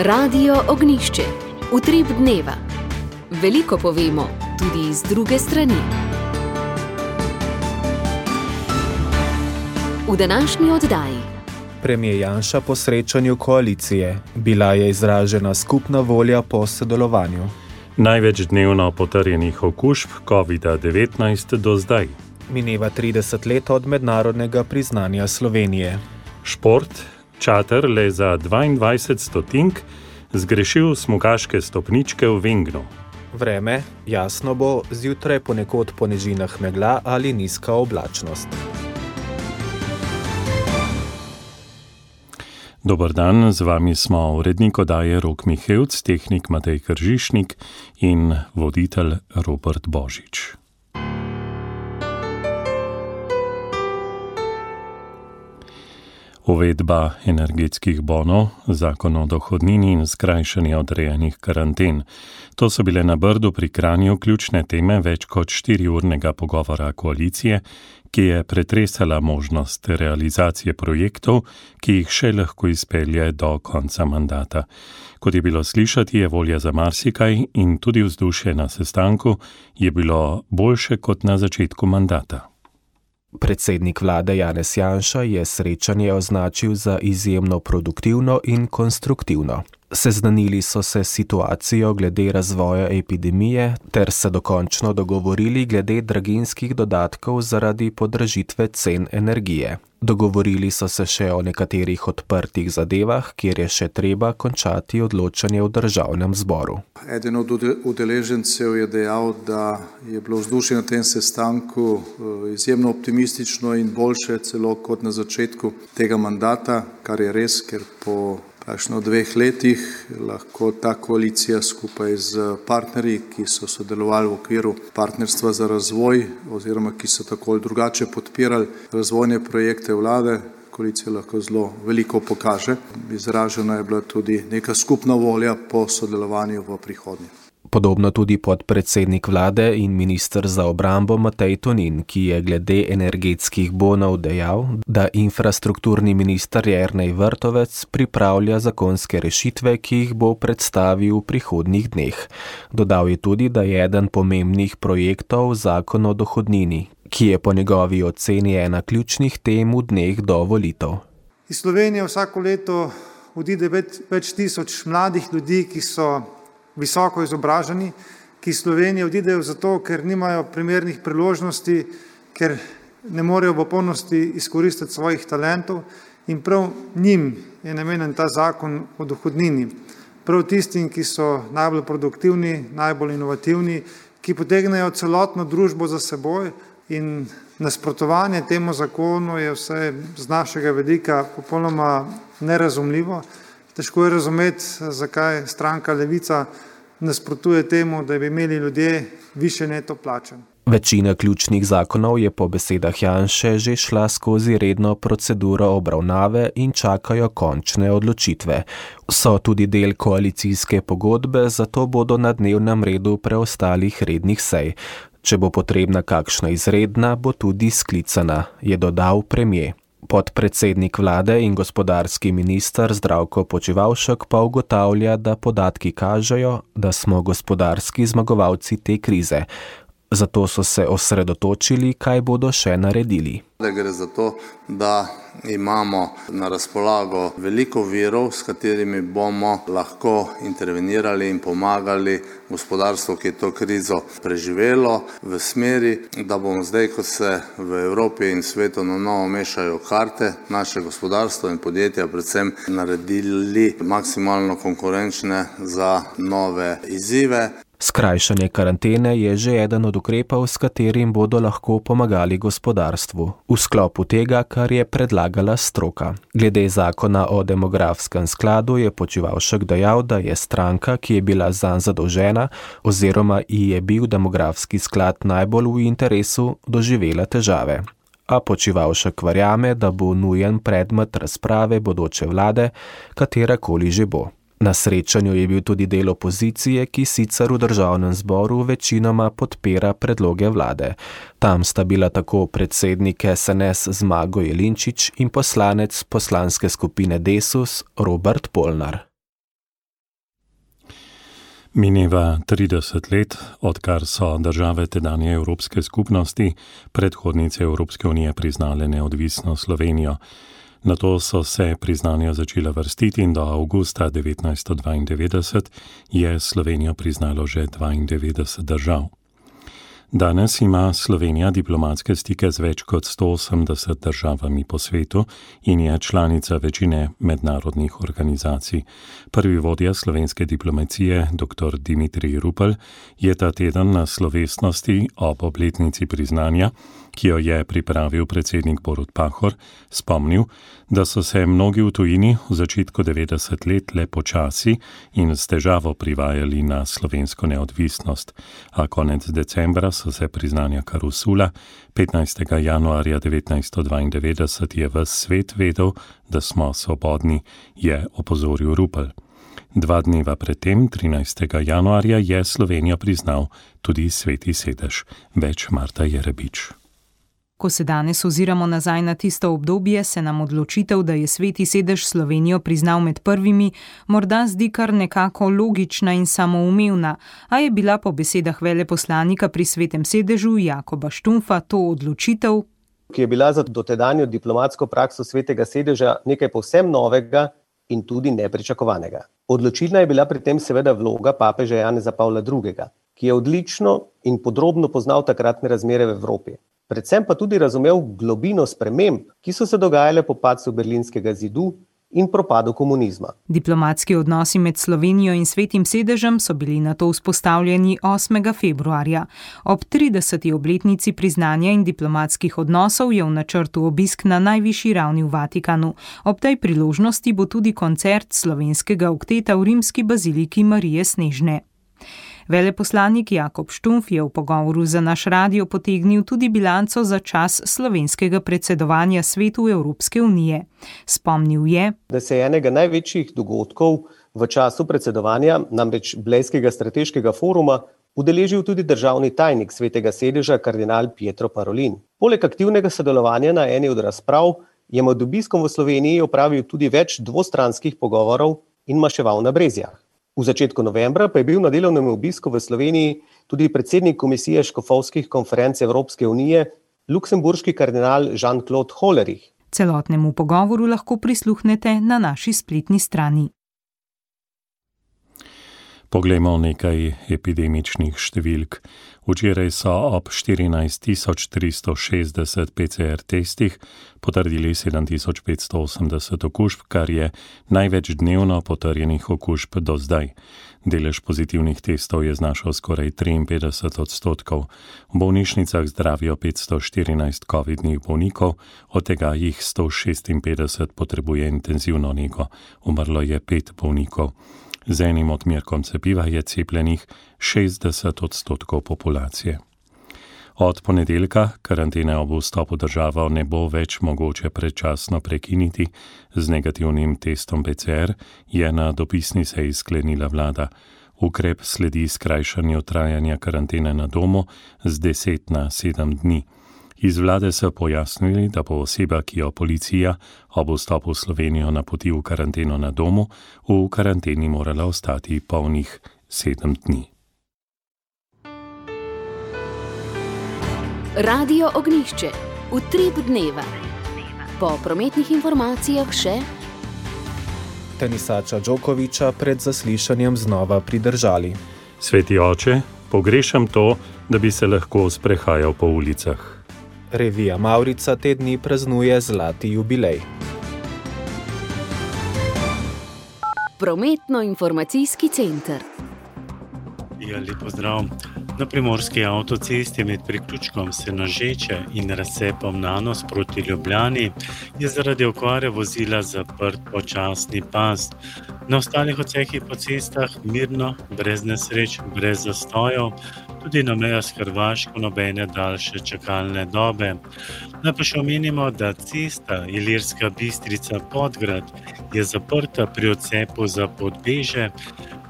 Radio Ognjišče. Utrip dneva. Veliko povemo, tudi iz druge strani. V današnji oddaji. Premier Janša po srečanju koalicije. Bila je izražena skupna volja po sodelovanju. Največ dnevno potrjenih okužb COVID-19 do zdaj. Mineva 30 let od mednarodnega priznanja Slovenije. Šport, čater le za 22 stotink, zgrešil smukaške stopničke v Vengnu. Vreme, jasno bo, zjutraj ponekod po nižinah megla ali nizka oblačnost. Dober dan, z vami smo urednik oddaje Rok Mihevc, tehnik Matej Kržišnik in voditelj Robert Božič. Uvedba energetskih bonov, zakon o dohodnini in skrajšanje odrejenih karanten. To so bile na Brdu pri Kranju ključne teme več kot 4-urnega pogovora koalicije, ki je pretresala možnost realizacije projektov, ki jih še lahko izpelje do konca mandata. Kot je bilo slišati, je volja za marsikaj in tudi vzdušje na sestanku je bilo boljše kot na začetku mandata. Predsednik vlade Janez Janša je srečanje označil za izjemno produktivno in konstruktivno. Seznanili so se situacijo glede razvoja epidemije ter se dokončno dogovorili glede draginjskih dodatkov zaradi podražitve cen energije. Dogovorili so se še o nekaterih odprtih zadevah, kjer je še treba končati odločanje v državnem zboru. Eden od udeležencev je dejal, da je bilo vzdušje na tem sestanku izjemno optimistično in boljše celo kot na začetku tega mandata, kar je res, ker po praktično 2 letih lahko ta koalicija skupaj z partnerji, ki so sodelovali v okviru partnerstva za razvoj oziroma ki so tako ali drugače podpirali razvojne projekte vlade, koalicija lahko zelo veliko pokaže. Izražena je bila tudi neka skupna volja po sodelovanju v prihodnje. Podobno tudi podpredsednik vlade in minister za obrambo Matej Tonin, ki je glede energetskih bonov dejal, da infrastrukturni minister Jernej Vrtovec pripravlja zakonske rešitve, ki jih bo predstavil v prihodnjih dneh. Dodal je tudi, da je eden pomembnih projektov zakon o dohodnini, ki je po njegovi oceni ena ključnih tem v dneh do volitev. Iz Slovenije vsako leto odide več tisoč mladih ljudi, ki so visoko izobraženi, ki iz Slovenije odidejo zato, ker nimajo primernih priložnosti, ker ne morejo v polnosti izkoristiti svojih talentov in prav njim je namenjen ta zakon o dohodnini. Prav tistim, ki so najbolj produktivni, najbolj inovativni, ki potegnejo celotno družbo za seboj in nasprotovanje temu zakonu je vse z našega vidika popolnoma nerazumljivo. Težko je razumeti, zakaj stranka Levica nasprotuje temu, da bi imeli ljudje višje neto plače. Večina ključnih zakonov je po besedah Janše že šla skozi redno proceduro obravnave in čakajo končne odločitve. So tudi del koalicijske pogodbe, zato bodo na dnevnem redu preostalih rednih sej. Če bo potrebna kakšna izredna, bo tudi sklicana, je dodal premier. Podpredsednik vlade in gospodarski minister Zdravko Počivalšek pa ugotavlja, da podatki kažejo, da smo gospodarski zmagovalci te krize. Zato so se osredotočili, kaj bodo še naredili. Gre za to, da imamo na razpolago veliko virov, s katerimi bomo lahko intervenirali in pomagali gospodarstvu, ki je to krizo preživelo, v smeri, da bomo zdaj, ko se v Evropi in svetu na novo mešajo karte, naše gospodarstvo in podjetja predvsem naredili maksimalno konkurenčne za nove izzive. Skrajšanje karantene je že eden od ukrepov, s katerim bodo lahko pomagali gospodarstvu, v sklopu tega, kar je predlagala stroka. Glede zakona o demografskem skladu je Počivalšek dejal, da je stranka, ki je bila zanj zadolžena, oziroma ji je bil demografski sklad najbolj v interesu, doživela težave. A Počivalšek verjame, da bo nujen predmet razprave bodoče vlade, katerakoli že bo. Na srečanju je bil tudi del opozicije, ki sicer v državnem zboru večinoma podpira predloge vlade. Tam sta bila tako predsednik SNS Zmago Jelinčič in poslanec poslanske skupine Desus Robert Polnar. Mineva 30 let, odkar so države tedanje Evropske skupnosti, predhodnice Evropske unije, priznale neodvisno Slovenijo. Nato so se priznanja začela vrstiti in do avgusta 1992 je Slovenijo priznalo že 92 držav. Danes ima Slovenija diplomatske stike z več kot 180 državami po svetu in je članica večine mednarodnih organizacij. Prvi vodja slovenske diplomacije, dr. Dimitrij Rupel, je ta teden na slovesnosti ob obletnici priznanja, ki jo je pripravil predsednik Borut Pahor, spomnil, da so se mnogi v tujini v začetku 90 let le počasi in s težavo privajali na slovensko neodvisnost, a konec decembra so se priznanja kar usula. 15. januarja 1992 je ves svet vedel, da smo svobodni, je opozoril Rupel. 2 dneva predtem, 13. januarja, je Slovenijo priznal tudi Sveti sedež. Več Marta Jerebič. Ko se danes oziramo nazaj na tisto obdobje, se nam odločitev, da je Sveti sedež Slovenijo priznal med prvimi, morda zdi kar nekako logična in samoumevna, a je bila po besedah veleposlanika pri Svetem sedežu Jakoba Štumpfa to odločitev, ki je bila za dotedanjo diplomatsko prakso Svetega sedeža nekaj povsem novega in tudi nepričakovanega. Odločilna je bila pri tem seveda vloga papeža Janeza Pavla II., ki je odlično in podrobno poznal takratne razmere v Evropi. Predvsem pa tudi razumel globino sprememb, ki so se dogajale po padcu Berlinskega zidu in propadu komunizma. Diplomatski odnosi med Slovenijo in Svetim sedežem so bili nato vzpostavljeni 8. februarja. Ob 30. obletnici priznanja in diplomatskih odnosov je v načrtu obisk na najvišji ravni v Vatikanu. Ob tej priložnosti bo tudi koncert slovenskega okteta v rimski baziliki Marije Snežne. Veleposlanik Jakob Štumpf je v pogovoru za naš radio potegnil tudi bilanco za čas slovenskega predsedovanja Svetu Evropske unije. Spomnil je, da se je enega največjih dogodkov v času predsedovanja, namreč Blejskega strateškega foruma, udeležil tudi državni tajnik Svetega sedeža kardinal Pietro Parolin. Poleg aktivnega sodelovanja na eni od razprav je med obiskom v Sloveniji opravil tudi več dvostranskih pogovorov in maševal na Brezjah. V začetku novembra pa je bil na delovnem obisku v Sloveniji tudi predsednik Komisije škofovskih konferenc Evropske unije, luksemburški kardinal Jean-Claude Hollerich. Celotnemu pogovoru lahko prisluhnete na naši spletni strani. Poglejmo nekaj epidemičnih številk. Včeraj so ob 14.360 PCR testih potrdili 7.580 okužb, kar je največ dnevno potrjenih okužb do zdaj. Delež pozitivnih testov je znašal skoraj 53%. V bolnišnicah zdravijo 514 covidnih bolnikov, od tega jih 156 potrebuje intenzivno nego. Umrlo je 5 bolnikov. Z enim odmerkom cepiva je cepljenih 60% populacije. Od ponedeljka karantene ob vstopu državo ne bo več mogoče predčasno prekiniti z negativnim testom PCR, je na dopisni seji sklenila vlada. Ukrep sledi skrajšanju trajanja karantene na domu z 10 na 7 dni. Iz vlade so pojasnili, da bo oseba, ki jo policija ob vstopu v Slovenijo napoti v karanteno na domu, v karanteni morala ostati polnih 7 dni. Radio Ognjišče. Utrip dneva. Po prometnih informacijah še tenisača Djokoviča pred zaslišanjem znova pridržali. Sveti oče, pogrešam to, da bi se lahko sprehajal po ulicah. Revija Mavrica te dni praznuje zlati jubilej. Prometno-informacijski center. Lep pozdrav. Na primorski avtocesti med priključkom Senožeče in razcepom Nanos proti Ljubljani je zaradi okvare vozila zaprt počasni pas. Na ostalih odsekih po cestah mirno, brez nesreč, brez zastojev, tudi na mejah s Hrvaško nobene daljše čakalne dobe. Naj pa še omenimo, da cesta Ilirska Bistrica-Podgrad je zaprta pri odcepu za Podbeže,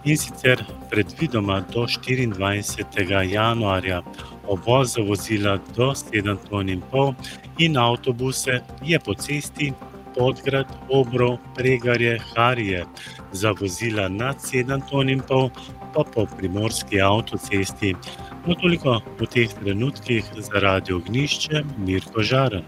in sicer predvidoma do 24. januarja. Obvoz za vozila do 7,5 ton in avtobuse je po cesti Podgrad, Obrov, Pregarje, Harije, za vozila nad 7,5 ton pa po primorski avtocesti. No, toliko v teh trenutkih za Radio Ognjišče, Mirko Žaren.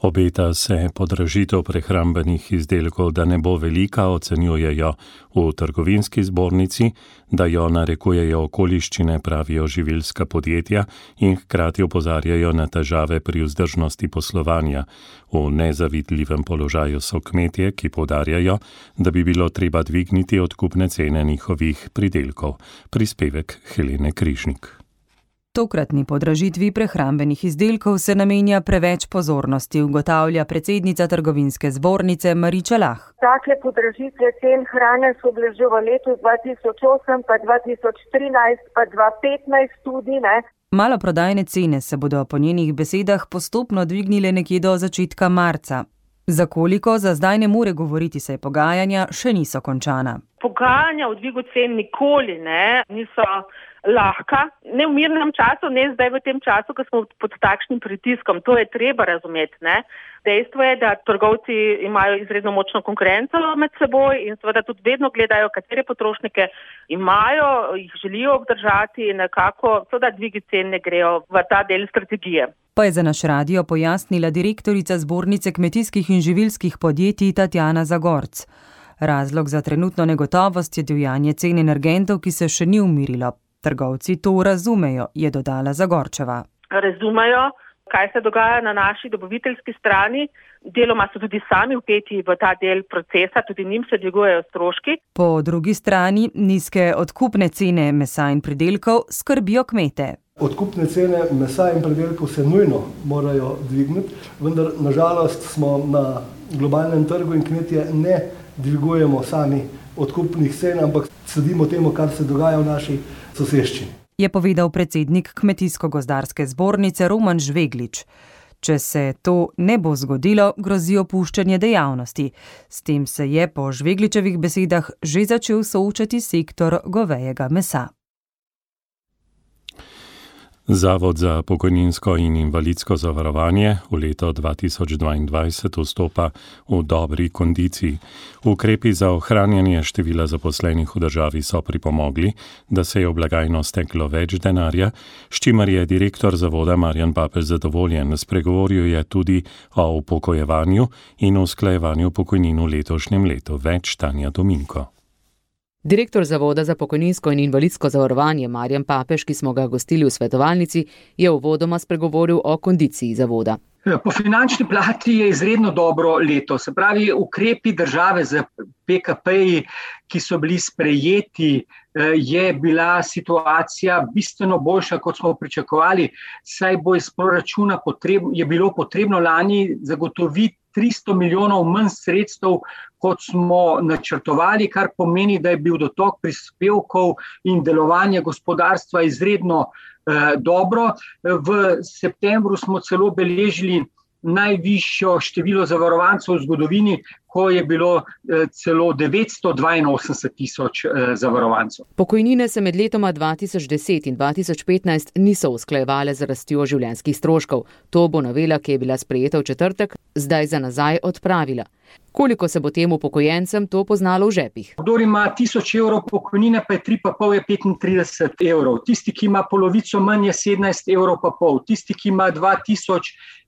Obeta se podražitev prehrambenih izdelkov, da ne bo velika, ocenjujejo v trgovinski zbornici, da jo narekujejo okoliščine, pravijo živilska podjetja in hkrati opozarjajo na težave pri vzdržnosti poslovanja. V nezavidljivem položaju so kmetje, ki poudarjajo, da bi bilo treba dvigniti odkupne cene njihovih pridelkov. Prispevek Helene Križnik. Tokratni podražitvi prehrambenih izdelkov se namenja preveč pozornosti, ugotavlja predsednica trgovinske zbornice Mariča Lah. Take podražitve cen hrane so bile že v letu 2008, pa 2013, pa 2015 tudi, ne. Maloprodajne cene se bodo po njenih besedah postopno dvignile nekje do začetka marca. Za koliko za zdaj ne more govoriti, saj pogajanja še niso končana. Pogajanja o dvigu cen nikoli niso lahka, ne v mirnem času, ne zdaj v tem času, ko smo pod takšnim pritiskom. To je treba razumeti, ne. Dejstvo je, da trgovci imajo izredno močno konkurenco med seboj in seveda tudi vedno gledajo, katere potrošnike imajo, jih želijo obdržati in nekako seveda dvigi cen ne grejo v ta del strategije. Pa je za naš radio pojasnila direktorica zbornice kmetijskih in živilskih podjetij Tatjana Zagorc. Razlog za trenutno negotovost je divjanje cen energentov, ki se še ni umirilo. Trgovci to razumejo, je dodala Zagorčeva. Razumejo, kaj se dogaja na naši dobaviteljski strani. Deloma so tudi sami vpeti v ta del procesa, tudi njim se dvigujejo stroški. Po drugi strani nizke odkupne cene mesa in pridelkov skrbijo kmete. Odkupne cene mesa in pridelkov se nujno morajo dvigniti, vendar nažalost smo na globalnem trgu in kmetje ne dvigujemo sami odkupnih cen, ampak sledimo temu, kar se dogaja v naši soseščini. Je povedal predsednik Kmetijsko-gozdarske zbornice Roman Žveglič. Če se to ne bo zgodilo, grozi opuščanje dejavnosti. S tem se je po Žvegličevih besedah že začel soočati sektor govejega mesa. Zavod za pokojninsko in invalidsko zavarovanje v leto 2022 vstopa v dobri kondiciji. Ukrepi za ohranjanje števila zaposlenih v državi so pripomogli, da se je v blagajno steklo več denarja, s čimer je direktor zavoda Marjan Papež zadovoljen. Spregovoril je tudi o upokojevanju in usklajevanju pokojnin v letošnjem letu. Več Tanja Dominko. Direktor Zavoda za pokojninsko in invalidsko zavarovanje Marjan Papež, ki smo ga gostili v svetovalnici, je uvodoma spregovoril o kondiciji zavoda. Po finančni plati je izredno dobro leto. Se pravi, ukrepi države z PKP-ji, ki so bili sprejeti, je bila situacija bistveno boljša, kot smo pričakovali, saj bo iz proračuna je bilo potrebno lani zagotoviti 300 milijonov manj sredstev, kot smo načrtovali, kar pomeni, da je bil dotok prispevkov in delovanje gospodarstva izredno dobro. V septembru smo celo beležili najvišjo število zavarovancev v zgodovini, ko je bilo celo 982 tisoč zavarovancev. Pokojnine se med letoma 2010 in 2015 niso usklajevale z rastjo življenjskih stroškov. To bo novela, ki je bila sprejeta v četrtek, zdaj za nazaj odpravila. Koliko se bo tem upokojencem to poznalo v žepih? Kdor ima 1000 evrov pokojnine, pa je 3,5 je 35 evrov. Tisti, ki ima polovico manj, je 17,5 evrov. Tisti, ki ima 2000,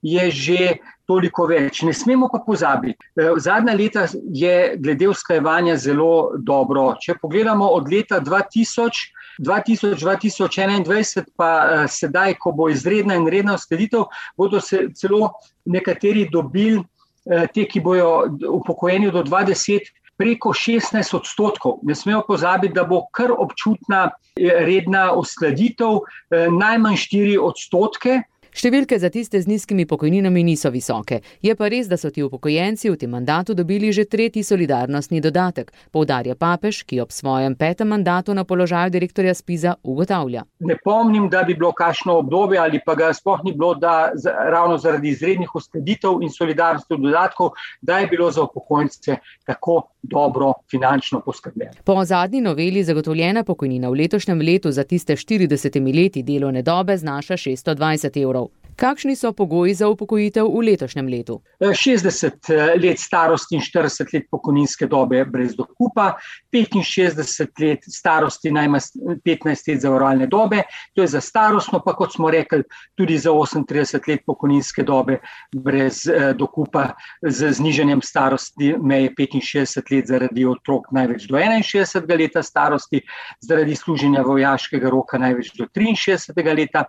je že toliko več. Ne smemo pa pozabiti. Zadnja leta je glede usklajevanja zelo dobro. Če pogledamo od leta 2021 pa sedaj, ko bo izredna in redna uskladitev, bodo se celo nekateri dobili, te, ki bojo upokojeni do 20, preko 16%. Ne smemo pozabiti, da bo kar občutna redna uskladitev, najmanj 4%. Številke za tiste z nizkimi pokojninami niso visoke. Je pa res, da so ti upokojenci v tem mandatu dobili že 3. solidarnostni dodatek, poudarja Papež, ki ob svojem 5. mandatu na položaju direktorja Spiza ugotavlja. Ne pomnim, da bi bilo kakšno obdobje ali pa ga sploh ni bilo, da ravno zaradi izrednih uskladitev in solidarnostnih dodatkov, da je bilo za upokojence tako dobro finančno poskrbljeno. Po zadnji noveli zagotovljena pokojnina v letošnjem letu za tiste 40 leti delovne dobe znaša 620 evrov. Kakšni so pogoji za upokojitev v letošnjem letu? 60 let starosti in 40 let pokojninske dobe brez dokupa, 65 let starosti najmanj 15 let zavarovalne dobe, to je za starostno, pa kot smo rekli, tudi za 38 let pokojninske dobe brez dokupa z znižanjem starosti meje 65 let zaradi otrok največ do 61 leta starosti, zaradi služenja vojaškega roka največ do 63 leta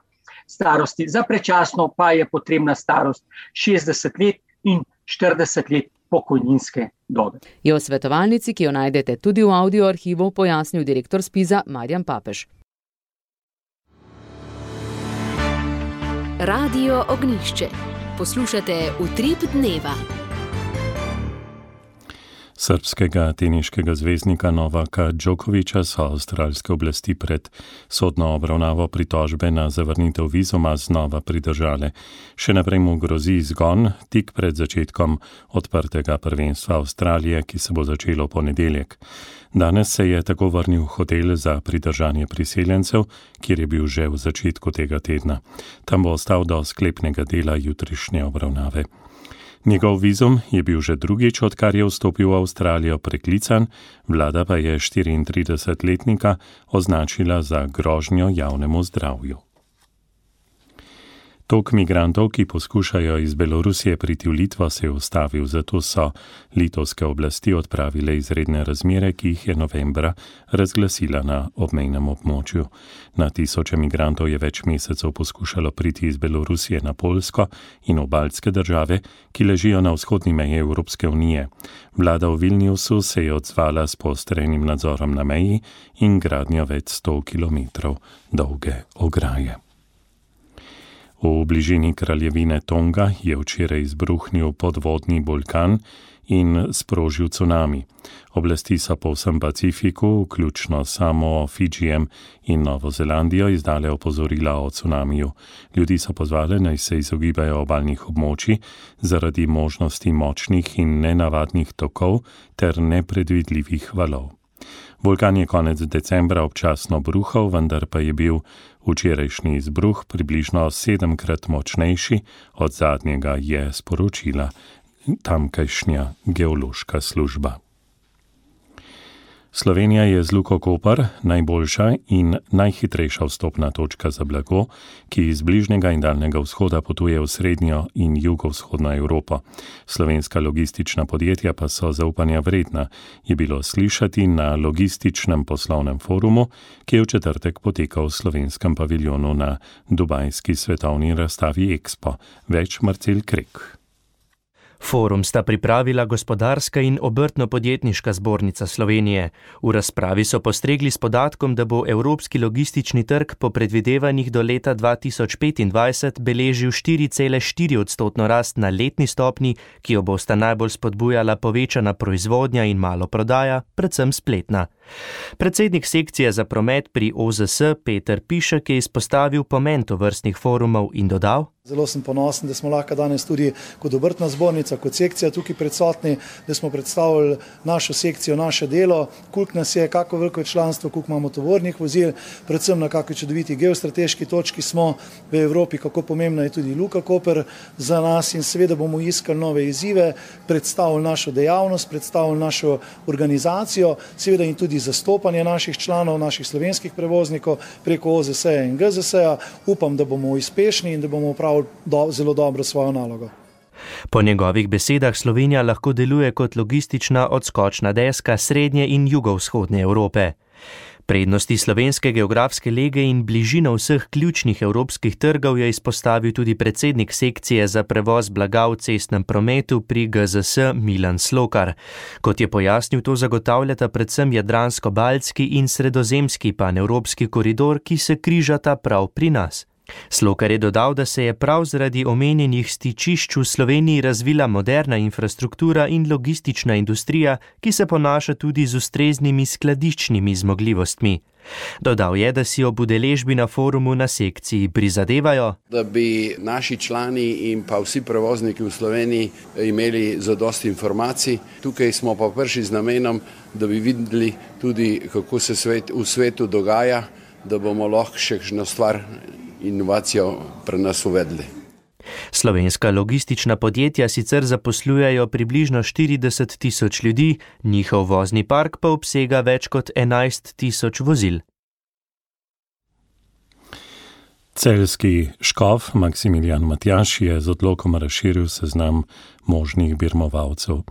starosti. Za predčasno pa je potrebna starost 60 let in 40 let pokojninske dobe. Je v svetovalnici, ki jo najdete tudi v audio arhivu, pojasnil direktor SPIZ-a Marjan Papež. Radio Ognjišče. Poslušate Utrip dneva. Srbskega teniškega zvezdnika Novaka Djokovića so avstralske oblasti pred sodno obravnavo pritožbe na zavrnitev vizuma znova pridržale. Še naprej mu grozi izgon tik pred začetkom odprtega prvenstva Avstralije, ki se bo začelo v ponedeljek. Danes se je tako vrnil v hotel za pridržanje priseljencev, kjer je bil že v začetku tega tedna. Tam bo ostal do sklepnega dela jutrišnje obravnave. Njegov vizum je bil že drugič, odkar je vstopil v Avstralijo, preklican, vlada pa je 34-letnika označila za grožnjo javnemu zdravju. Tok migrantov, ki poskušajo iz Belorusije priti v Litvo, se je ustavil, zato so litovske oblasti odpravile izredne razmere, ki jih je novembra razglasila na obmejnem območju. Na tisoče migrantov je več mesecev poskušalo priti iz Belorusije na Poljsko in v baltske države, ki ležijo na vzhodni meji Evropske unije. Vlada v Vilniusu se je odzvala s poostrenim nadzorom na meji in gradnjo več 100 kilometrov dolge ograje. V bližini kraljevine Tonga je včeraj izbruhnil podvodni vulkan in sprožil cunami. Oblasti so po vsem Pacifiku, vključno samo Fidžijem in Novo Zelandijo, izdale opozorila o cunamiju. Ljudi so pozvali, naj se izogibajo obalnih območij zaradi možnosti močnih in nenavadnih tokov ter nepredvidljivih valov. Vulkan je konec decembra občasno bruhal, vendar pa je bil včerajšnji izbruh približno 7-krat močnejši od zadnjega, je sporočila tamkajšnja geološka služba. Slovenija je z Luko Koper najboljša in najhitrejša vstopna točka za blago, ki iz bližnjega in daljnega vzhoda potuje v srednjo in jugovzhodno Evropo. Slovenska logistična podjetja pa so zaupanja vredna, je bilo slišati na logističnem poslovnem forumu, ki je v četrtek potekal v slovenskem paviljonu na dubajski svetovni razstavi Expo. Več Marcel Krek. Forum sta pripravila Gospodarska in Obrtno-podjetniška zbornica Slovenije. V razpravi so postregli s podatkom, da bo evropski logistični trg po predvidevanjih do leta 2025 beležil 4,4% rast na letni stopni, ki jo bosta najbolj spodbujala povečana proizvodnja in malo prodaja, predvsem spletna. Predsednik sekcije za promet pri OZS Peter Pišek je izpostavil pomen tovrstnih forumov in dodal: Zelo sem ponosen, da smo lahko danes tudi kot obrtna zbornica, kot sekcija tukaj prisotni, da smo predstavili našo sekcijo, naše delo, koliko nas je, kako veliko članstvo, koliko imamo tovornih vozil, predvsem na kakšni čudoviti geostrateški točki smo v Evropi, kako pomembna je tudi Luka Koper za nas in seveda bomo iskali nove izzive, predstavili našo dejavnost, predstavili našo organizacijo, seveda in tudi zastopanje naših članov, naših slovenskih prevoznikov preko OZS-ja in GZS-ja. Upam, da bomo uspešni in da bomo upravili zelo dobro svojo nalogo. Po njegovih besedah Slovenija lahko deluje kot logistična odskočna deska srednje in jugovzhodne Evrope. Prednosti slovenske geografske lege in bližino vseh ključnih evropskih trgov je izpostavil tudi predsednik sekcije za prevoz blaga v cestnem prometu pri GZS Milan Slokar. Kot je pojasnil, to zagotavljata predvsem jadransko-baltski in sredozemski panevropski koridor, ki se križata prav pri nas. Slokar je dodal, da se je prav zaradi omenjenih stičišč v Sloveniji razvila moderna infrastruktura in logistična industrija, ki se ponaša tudi z ustreznimi skladiščnimi zmogljivostmi. Dodal je, da si ob udeležbi na forumu na sekciji prizadevajo, da bi naši člani in pa vsi prevozniki v Sloveniji imeli zadosti informacij. Tukaj smo pa prišli z namenom, da bi videli tudi, kako se v svetu dogaja, da bomo lahko še kakšno stvar inovacijo pri nas uvedli. Slovenska logistična podjetja sicer zaposlujejo približno 40 tisoč ljudi, njihov vozni park pa obsega več kot 11 tisoč vozil. Celjski škof Maksimilijan Matjaž je z odlokom razširil seznam možnih birmovalcev.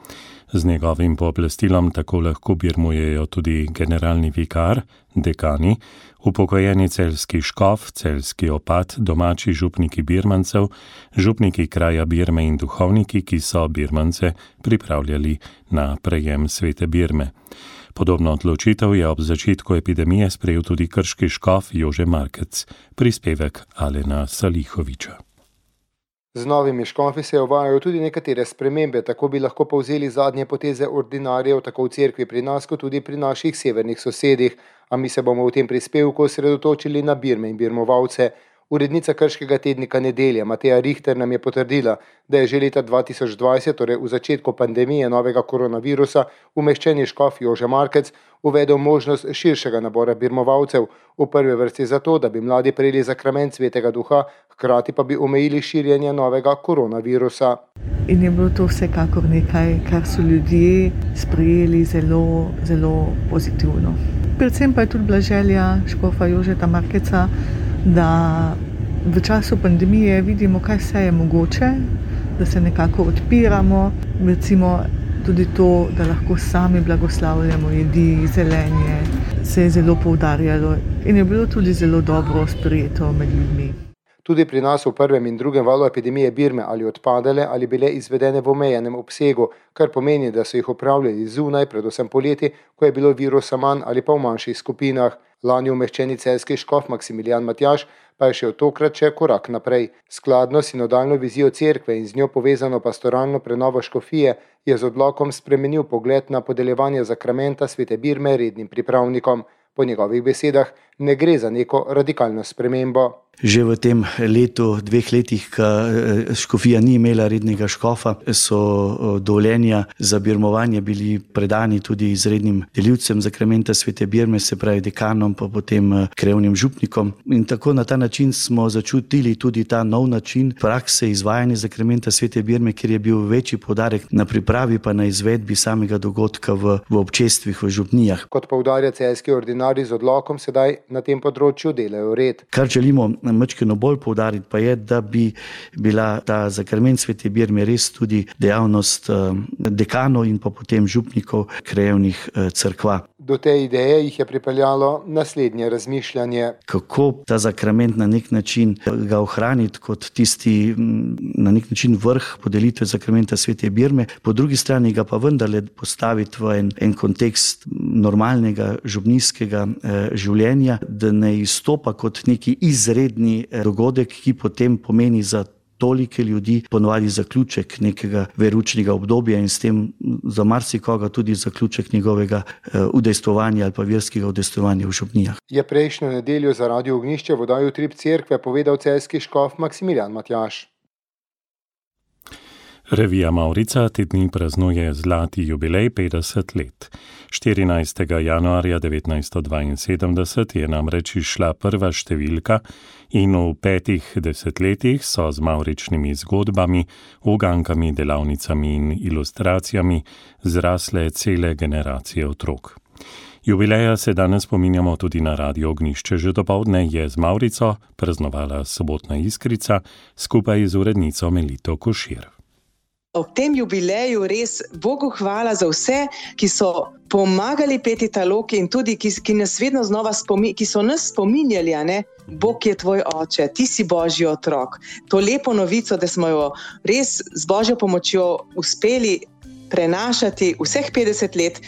Z njegovim pooblastilom tako lahko birmujejo tudi generalni vikar, dekani, upokojeni celjski škof, celjski opat, domači župniki birmancev, župniki kraja Birme in duhovniki, ki so birmance pripravljali na prejem svete Birme. Podobno odločitev je ob začetku epidemije sprejel tudi krški škof Jože Markec, prispevek Alena Salihoviča. Z novimi škofi se uvajajo tudi nekatere spremembe, tako bi lahko povzeli zadnje poteze ordinarjev tako v cerkvi pri nas, kot tudi pri naših severnih sosedih, a mi se bomo v tem prispevku osredotočili na Birme in birmovalce. Urednica krškega tednika Nedelja Mateja Richter nam je potrdila, da je že leta 2020, torej v začetku pandemije novega koronavirusa, umeščeni škof Jože Markec uvedel možnost širšega nabora birmovalcev, v prvi vrsti zato, da bi mladi prejeli zakrament svetega duha, hkrati pa bi omejili širjenje novega koronavirusa. In je bilo to vsekakor nekaj, kar so ljudje sprejeli zelo, zelo pozitivno. Predvsem pa je tudi bila želja škofa Jožeta Markeca, da v času pandemije vidimo, kaj vse je mogoče, da se nekako odpiramo, recimo tudi to, da lahko sami blagoslavljamo jedi, zelenje, se je zelo poudarjalo in je bilo tudi zelo dobro sprejeto med ljudmi. Tudi pri nas v prvem in drugem valu epidemije Birme ali odpadale ali bile izvedene v omejenem obsegu, kar pomeni, da so jih upravljali zunaj, predvsem poleti, ko je bilo virusa manj ali pa v manjših skupinah. Lani umeščeni celjski škof Maksimilijan Matjaž pa je šel tokrat še korak naprej. Skladno s sinodalno vizijo cerkve in z njo povezano pastoralno prenovo škofije je z odlokom spremenil pogled na podeljevanje zakramenta svete Birme rednim pripravnikom. Po njegovih besedah ne gre za neko radikalno spremembo. Že v tem letu, 2 letih, ko škofija ni imela rednega škofa, so dovoljenja za birmovanje bili predani tudi izrednim delivcem zakramenta svete Birme, se pravi dekanom, pa potem krajevnim župnikom. In tako na ta način smo začutili tudi ta nov način prakse izvajanja zakramenta svete Birme, kjer je bil večji poudarek na pripravi pa na izvedbi samega dogodka v občestvih, v župnijah. Kot poudarja celjski ordinarij z odlokom, sedaj na tem področju delajo red. Kar želimo majčkeno bolj poudariti pa je, da bi bila ta zakrament svete Birme res tudi dejavnost dekanov in pa potem župnikov krajevnih cerkva. Do te ideje jih je pripeljalo naslednje razmišljanje. Kako ta zakrament na nek način ga ohraniti kot tisti na nek način vrh podelitve zakramenta svete Birme, po drugi strani ga pa vendarle postaviti v en kontekst normalnega župnijskega življenja, da ne izstopa kot neki izredni dogodek, ki potem pomeni za tolike ljudi ponovadi zaključek nekega veroučnega obdobja in s tem za marsikoga tudi zaključek njegovega udejstvovanja ali pa verskega udejstvovanja v župnijah. Je prejšnjo nedeljo za Radio Ognjišče v oddaji Utrip cerkve povedal celjski škof Maksimilijan Matjaž. Revija Mavrica te dni praznuje zlati jubilej 50 let. 14. januarja 1972 je namreč izšla prva številka in v 5 desetletjih so z mavričnimi zgodbami, ugankami, delavnicami in ilustracijami zrasle cele generacije otrok. Jubileja se danes spominjamo tudi na Radio Ognjišče. Že dopoldne je z Mavrico praznovala Sobotna Iskrica skupaj z urednico Melito Košir. Ob tem jubileju res Bogu hvala za vse, ki so pomagali peti ta lok in tudi, ki nas vedno znova ki so nas spominjali, Bog je tvoj oče, ti si Božji otrok. To lepo novico, da smo jo res z Božjo pomočjo uspeli prenašati vseh 50 let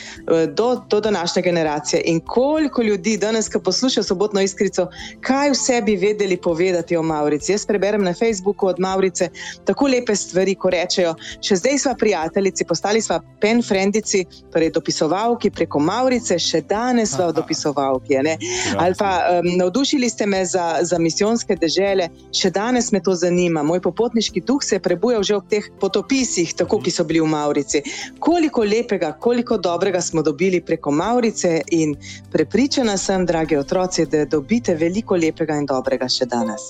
do današnje generacije. In koliko ljudi danes, ko poslušajo Sobotno Iskrico, kaj vse bi vedeli povedati o Mavrici. Jaz preberem na Facebooku od Mavrice tako lepe stvari, ko rečejo, še zdaj sva prijateljici, postali sva pen frendici, torej dopisovalki preko Mavrice, še danes sva dopisovalki. Ali pa navdušili ste me za misijonske dežele, še danes me to zanima. Moj popotniški duh se je prebujal že ob teh potopisih, tako ki so bili v Mavrici. Koliko lepega, koliko dobrega smo dobili preko Mavrice in prepričana sem, dragi otroci, da dobite veliko lepega in dobrega še danes.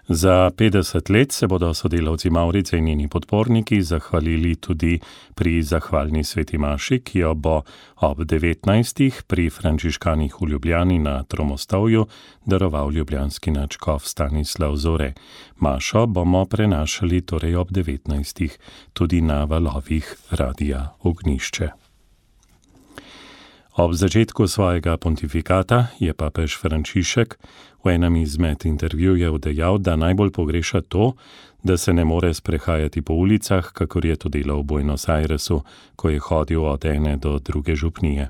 Za 50 let se bodo sodelavci Mavrice in njeni podporniki zahvalili tudi pri zahvalni sveti maši, ki jo bo ob 19. pri frančiškanih v Ljubljani na Tromostovju daroval ljubljanski nadškof Stanislav Zore. Mašo bomo prenašali torej ob 19. tudi na valovih Radia Ognjišče. Ob začetku svojega pontifikata je papež Frančišek v enem izmed intervjujev dejal, da najbolj pogreša to, da se ne more sprehajati po ulicah, kakor je to delal v Buenos Airesu, ko je hodil od ene do druge župnije.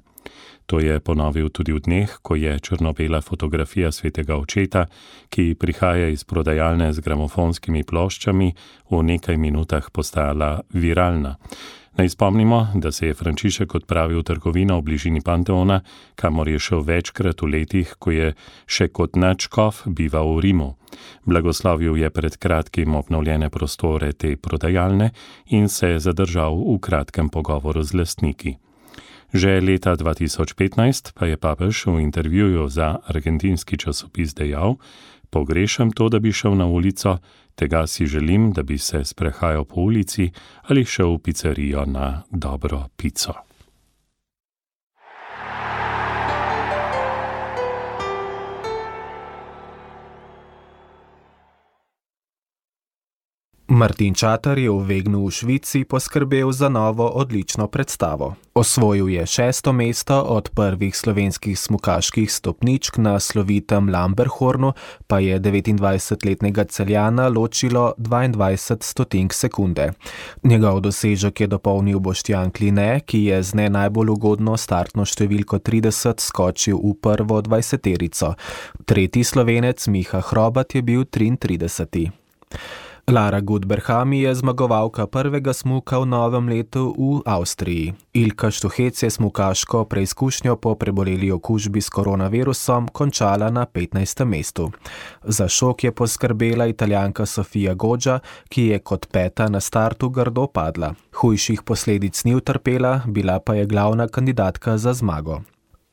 To je ponovil tudi v dneh, ko je črno-bela fotografija svetega očeta, ki prihaja iz prodajalne z gramofonskimi ploščami, v nekaj minutah postala viralna. Naj spomnimo, da se je Frančišek odpravil v trgovino v bližini Panteona, kamor je šel večkrat v letih, ko je še kot nadškof bival v Rimu. Blagoslovil je pred kratkim obnovljene prostore te prodajalne in se je zadržal v kratkem pogovoru z lastniki. Že leta 2015 pa je papež v intervjuju za argentinski časopis dejal: "Pogrešam to, da bi šel na ulico, tega si želim, da bi se sprehajal po ulici ali šel v pizzerijo na dobro pico." Martin Čater je v Wegnu v Švici poskrbel za novo odlično predstavo. Osvojil je 6. mesto od prvih slovenskih smukaških stopničk na slovitem Lamberhornu, pa je 29-letnega Celjana ločilo 22 stotink sekunde. Njegov dosežek je dopolnil Boštjan Kline, ki je z ne najbolj ugodno startno številko 30 skočil v prvo 20-terico. Tretji Slovenec Miha Hrobat je bil 33. Lara Gut-Berhami je zmagovalka prvega smuka v novem letu v Avstriji. Ilka Štuhec je smukaško preizkušnjo po preboleli okužbi s koronavirusom končala na 15. mestu. Za šok je poskrbela Italijanka Sofia Goggia, ki je kot peta na startu grdo padla. Hujših posledic ni utrpela, bila pa je glavna kandidatka za zmago.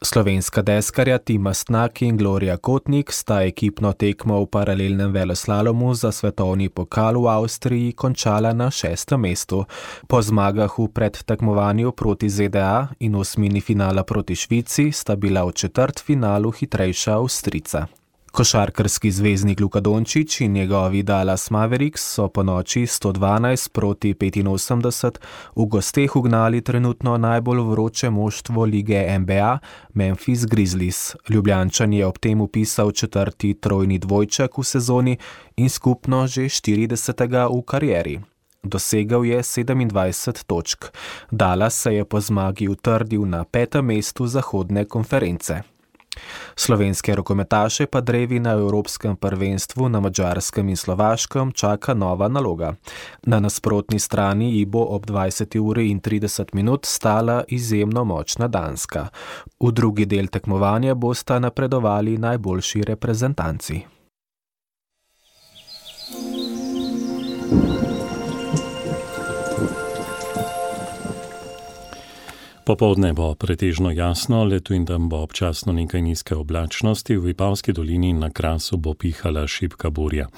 Slovenska deskarja Tima Snak in Gloria Kotnik sta ekipno tekmo v paralelnem veleslalomu za svetovni pokal v Avstriji končala na 6. mestu. Po zmagah v predtekmovanju proti ZDA in osmini finala proti Švici sta bila v četrtfinalu hitrejša Avstrijca. Košarkarski zvezdnik Luka Dončić in njegovi Dallas Mavericks so po noči 112 proti 85 v gosteh ugnali trenutno najbolj vroče moštvo lige NBA, Memphis Grizzlies. Ljubljančan je ob tem vpisal 4. trojni dvojček v sezoni in skupno že 40. v karieri. Dosegel je 27 točk. Dallas se je po zmagi utrdil na 5. mestu zahodne konference. Slovenske rokometaše pa drevi na Evropskem prvenstvu na Madžarskem in Slovaškem čaka nova naloga. Na nasprotni strani ji bo ob 20:30 stala izjemno močna Danska. V drugi del tekmovanja bosta napredovali najboljši reprezentanci. Popoldne bo pretežno jasno, letu in tam bo občasno nekaj nizke oblačnosti, v Vipavski dolini na Krasu bo pihala šibka burja.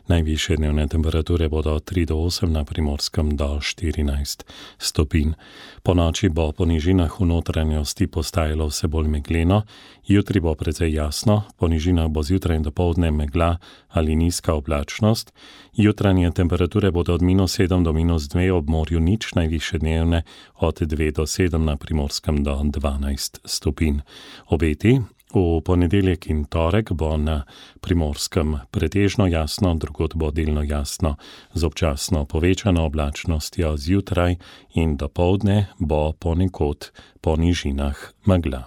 Najvišje dnevne temperature bodo od 3 do 8, na Primorskem do 14 stopinj. Po noči bo po nižinah v notranjosti postajalo vse bolj megleno, jutri bo precej jasno, po nižinah bo zjutraj in dopoldne megla ali nizka oblačnost. Jutranje temperature bodo od -7 do -2, ob morju nič, najvišje dnevne od 2 do 7, na Primorskem do 12 stopinj. Obeti v ponedeljek in torek bo na Primorskem pretežno jasno, drugod bo delno jasno z občasno povečano oblačnostjo, zjutraj in dopoldne bo ponekod po nižinah megla.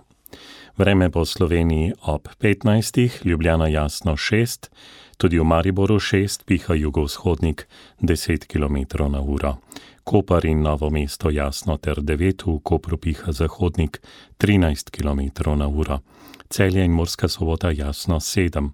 Vreme po Sloveniji ob 15, Ljubljana jasno 6, tudi v Mariboru 6, piha jugovzhodnik 10 km/h. Koper in Novo mesto jasno ter 9, v Kopru piha zahodnik 13 km/h. Celje in Murska Sobota jasno 7,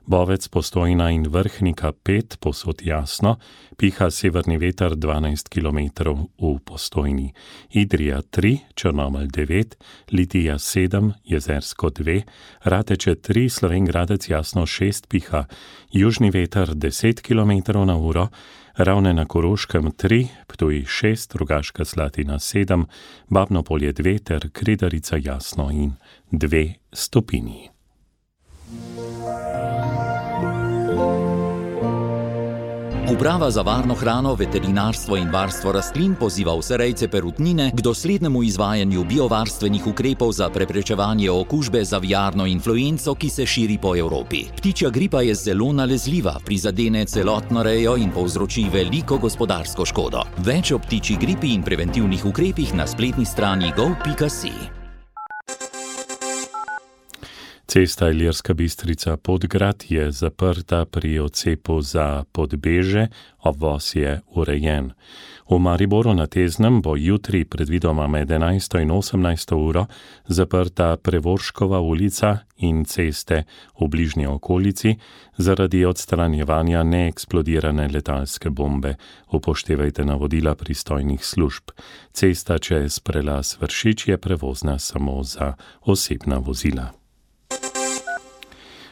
Bovec, Postojna in Vrhnika 5, povsod jasno, piha severni veter 12 km v Postojni. Idrija 3, Črnomelj 9, Litija 7, Jezersko 2, Rateče 3, Slovenj Gradec jasno 6, piha južni veter 10 km na uro, Ravne na Koroškem 3, Ptuj 6, Rogaška Slatina 7, Babno Polje 2 ter Kredarica jasno in 2 stopinji. Uprava za varno hrano, veterinarstvo in varstvo rastlin poziva vse rejce perutnine k doslednemu izvajanju biovarstvenih ukrepov za preprečevanje okužbe z aviarno influenco, ki se širi po Evropi. Ptičja gripa je zelo nalezljiva, prizadene celotno rejo in povzroči veliko gospodarsko škodo. Več o ptičji gripi in preventivnih ukrepih na spletni strani gov.si. Cesta Ilirska Bistrica-Podgrad je zaprta pri odcepu za Podbeže, obvoz je urejen. V Mariboru na Teznem bo jutri predvidoma med 11. in 18. uro zaprta Prevorškova ulica in ceste v bližnji okolici zaradi odstranjevanja neeksplodirane letalske bombe. Upoštevajte navodila pristojnih služb. Cesta čez prelaz Vršič je prevozna samo za osebna vozila.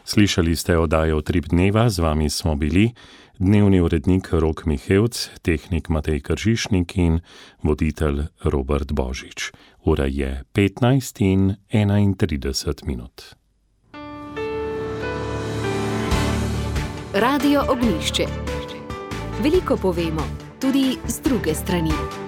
Slišali ste oddajo Utrip dneva, z vami smo bili dnevni urednik Rok Mihevc, tehnik Matej Kržišnik in voditelj Robert Božič. Ura je 15 in 31 minut. Radio Ognjišče. Veliko povemo, tudi z druge strani.